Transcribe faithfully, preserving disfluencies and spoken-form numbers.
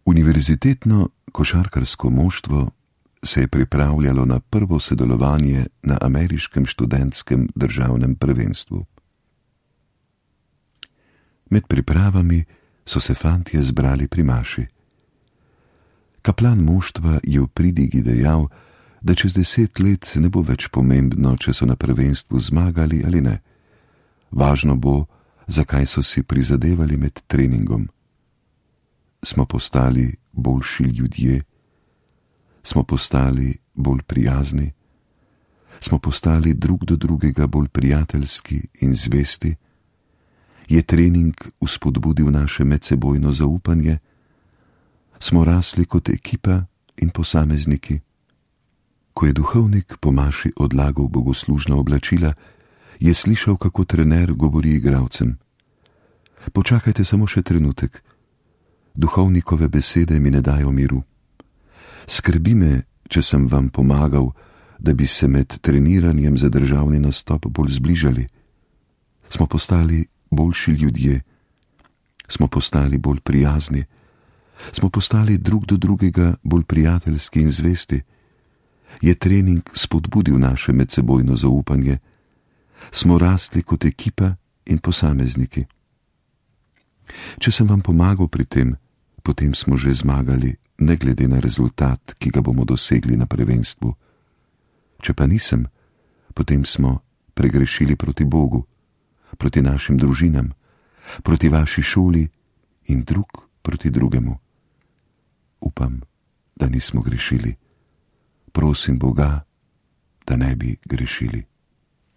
Univerzitetno košarkarsko moštvo se je pripravljalo na prvo sodelovanje na ameriškem študentskem državnem prvenstvu. Med pripravami so se fantje zbrali pri maši. Kaplan moštva je v pridigi dejal, da čez deset let ne bo več pomembno, če so na prvenstvu zmagali ali ne. Važno bo, zakaj so si prizadevali med treningom. Smo postali boljši ljudje, smo postali bolj prijazni, smo postali drug do drugega bolj prijateljski in zvesti, je trening vzpodbudil naše medsebojno zaupanje, smo rasli kot ekipa in posamezniki. Ko je duhovnik po maši odlagal bogoslužna oblačila, je slišal, kako trener govori igralcem. Počakajte samo še trenutek. Duhovnikove besede mi ne dajo miru. Skrbi me, če sem vam pomagal, da bi se med treniranjem za državni nastop bolj zbližali. Smo postali boljši ljudje, smo postali bolj prijazni, smo postali drug do drugega bolj prijateljski in zvesti. Je trening spodbudil naše medsebojno zaupanje, smo rasli kot ekipa in posamezniki. Če sem vam pomagal pri tem, potem smo že zmagali, ne glede na rezultat, ki ga bomo dosegli na prvenstvu. Če pa nisem, potem smo pregrešili proti Bogu, proti našim družinam, proti vaši šoli in drug proti drugemu. Upam, da nismo grešili. Prosim Boga, da ne bi grešili.